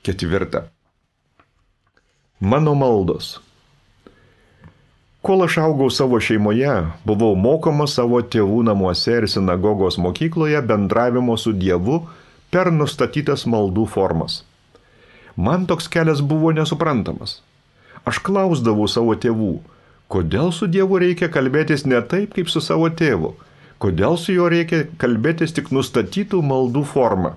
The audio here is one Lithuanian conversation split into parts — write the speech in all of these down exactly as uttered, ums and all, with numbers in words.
Ketvirta. Mano maldos. Kol aš augau savo šeimoje, buvau mokomas savo tėvų namuose ir sinagogos mokykloje bendravimo su Dievu per nustatytas maldų formas. Man toks kelias buvo nesuprantamas. Aš klausdavau savo tėvų, kodėl su Dievu reikia kalbėtis ne taip, kaip su savo tėvu, kodėl su juo reikia kalbėtis tik nustatytų maldų formą.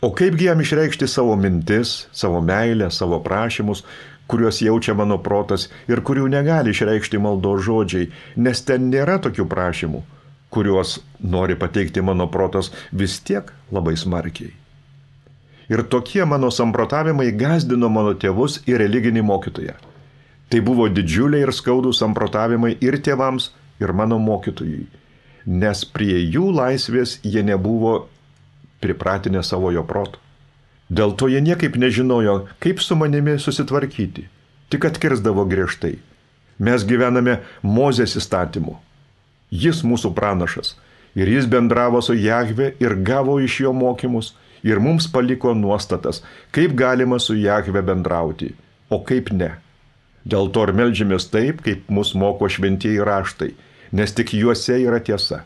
O kaipgi jam išreikšti savo mintis, savo meilę, savo prašymus, kuriuos jaučia mano protas ir kurių negali išreikšti maldos žodžiai, nes ten nėra tokių prašymų, kuriuos nori pateikti mano protas vis tiek labai smarkiai. Ir tokie mano samprotavimai gąsdino mano tėvus ir religinį mokytoją. Tai buvo didžiuliai ir skaudūs samprotavimai ir tėvams, ir mano mokytojui, nes prie jų laisvės jie nebuvo pripratinę savo jo proto. Dėl to jie niekaip nežinojo, kaip su manimi susitvarkyti, tik atkirsdavo griežtai. Mes gyvename Mozės įstatymu. Jis mūsų pranašas, ir jis bendravo su Jahve ir gavo iš jo mokymus, ir mums paliko nuostatas, kaip galima su Jahve bendrauti, o kaip ne. Dėl to ir meldžiamės taip, kaip mus moko šventieji raštai, nes tik juose yra tiesa.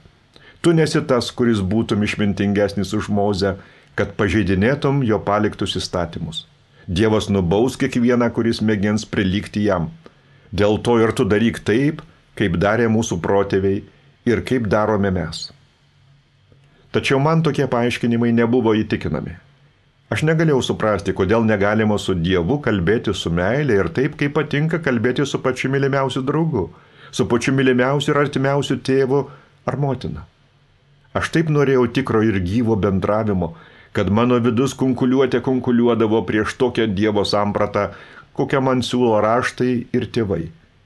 Tu nesi tas, kuris būtum išmintingesnis už Mozę, kad pažeidinėtum jo paliktus įstatymus. Dievas nubaus kiekvieną, kuris mėgins prilygti jam. Dėl to ir tu daryk taip, kaip darė mūsų protėviai ir kaip darome mes. Tačiau man tokie paaiškinimai nebuvo įtikinami. Aš negalėjau suprasti, kodėl negalima su Dievu kalbėti su meilė ir taip, kaip patinka kalbėti su pačiu mylimiausiu draugu, su pačiu mylimiausiu ir artimiausiu tėvu ar motina. Aš taip norėjau tikro ir gyvo bendravimo, kad mano vidus kunkuliuotė kunkuliuodavo prieš tokią Dievo sampratą, kokią man siūlo raštai ir tėvai.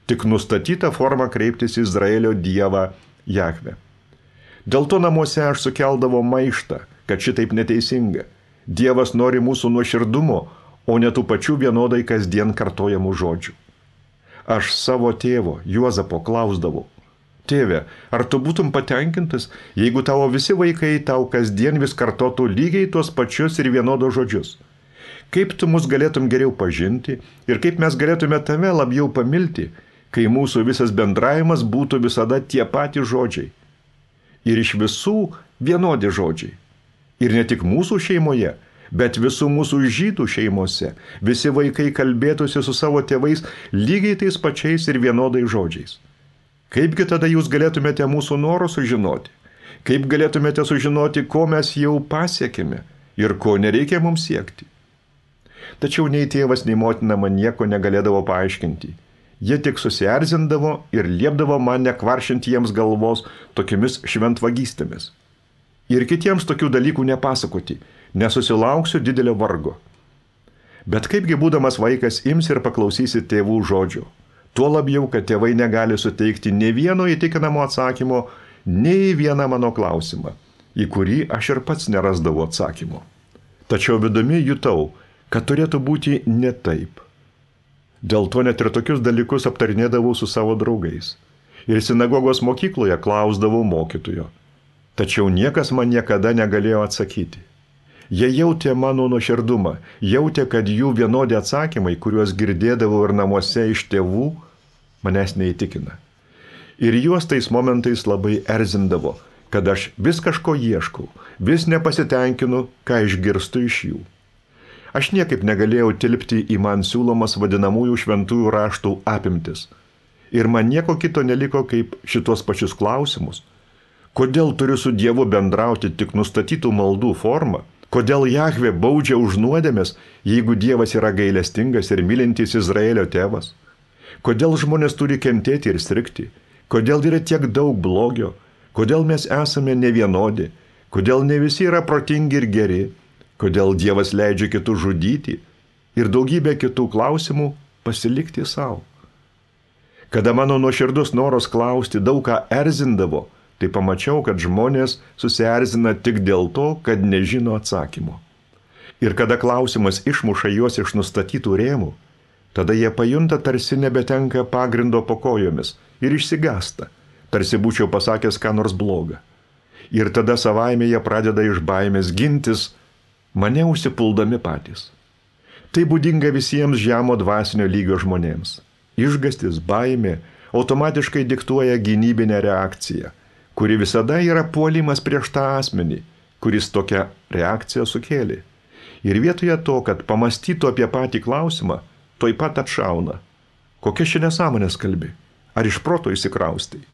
Tik nustatyta forma kreiptis į Izraelio Dievą Jahve. Dėl to namuose aš sukeldavau maištą, kad šitaip neteisinga. Dievas nori mūsų nuoširdumo, o ne tų pačių vienodai kasdien kartojamų žodžių. Aš savo tėvo, Juozapo, klausdavau, tėve, ar tu būtum patenkintas, jeigu tavo visi vaikai tau kasdien vis kartotų lygiai tuos pačius ir vienodos žodžius? Kaip tu mus galėtum geriau pažinti ir kaip mes galėtume tave labiau pamilti, kai mūsų visas bendravimas būtų visada tie patys žodžiai? Ir iš visų vienodi žodžiai. Ir ne tik mūsų šeimoje, bet visų mūsų žydų šeimose visi vaikai kalbėtųsi su savo tėvais lygiai tais pačiais ir vienodais žodžiais. Kaipgi tada jūs galėtumėte mūsų norų sužinoti? Kaip galėtumėte sužinoti, ko mes jau pasiekėme ir ko nereikia mums siekti? Tačiau nei tėvas, nei motina man nieko negalėdavo paaiškinti. Jie tik susierzindavo ir liepdavo man nekvaršinti jiems galvos tokiamis šventvagystėmis. Ir kitiems tokių dalykų nepasakoti, nesusilauksiu didelio vargo. Bet kaipgi būdamas vaikas ims ir paklausysi tėvų žodžių? Tuo labiau, kad tėvai negali suteikti nei vieno įtikinamo atsakymo, nei vieną mano klausimą, į kurį aš ir pats nerasdavau atsakymo. Tačiau vidumi jutau, kad turėtų būti ne taip. Dėl to net ir tokius dalykus aptarinėdavau su savo draugais. Ir sinagogos mokykloje klausdavau mokytojo. Tačiau niekas man niekada negalėjo atsakyti. Jie jautė mano nuoširdumą, jautė, kad jų vienodi atsakymai, kuriuos girdėdavau ir namuose iš tėvų, manęs neįtikina. Ir juos tais momentais labai erzindavo, kad aš vis kažko ieškau, vis nepasitenkinu, ką išgirstu iš jų. Aš niekaip negalėjau tilpti į man siūlomas vadinamųjų šventųjų raštų apimtis. Ir man nieko kito neliko kaip šitos pačius klausimus. Kodėl turiu su Dievu bendrauti tik nustatytų maldų formą? Kodėl Jahve baudžia už nuodėmes, jeigu Dievas yra gailestingas ir mylintis Izraelio tėvas? Kodėl žmonės turi kentėti ir strigti? Kodėl yra tiek daug blogio? Kodėl mes esame nevienodi? Kodėl ne visi yra protingi ir geri? Kodėl Dievas leidžia kitus žudyti? Ir daugybė kitų klausimų pasilikti savo. Kada mano nuoširdus noras klausti daug ką erzindavo, tai pamačiau, kad žmonės susierzina tik dėl to, kad nežino atsakymo. Ir kada klausimas išmuša juos iš nustatytų rėmų, tada jie pajunta, tarsi nebetenka pagrindo po kojomis ir išsigąsta, tarsi būčiau pasakęs ką nors blogą. Ir tada savaime jie pradeda iš baimės gintis, mane užsipuldami patys. Tai būdinga visiems žemo dvasinio lygio žmonėms. Išgastis, baimė automatiškai diktuoja gynybinę reakciją, kuri visada yra puolimas prieš tą asmenį, kuris tokią reakciją sukėlė. Ir vietoje to, kad pamastytų apie patį klausimą, tuoj pat atšauna. Kokia ši nesąmonės kalbi? Ar iš proto įsikraustai?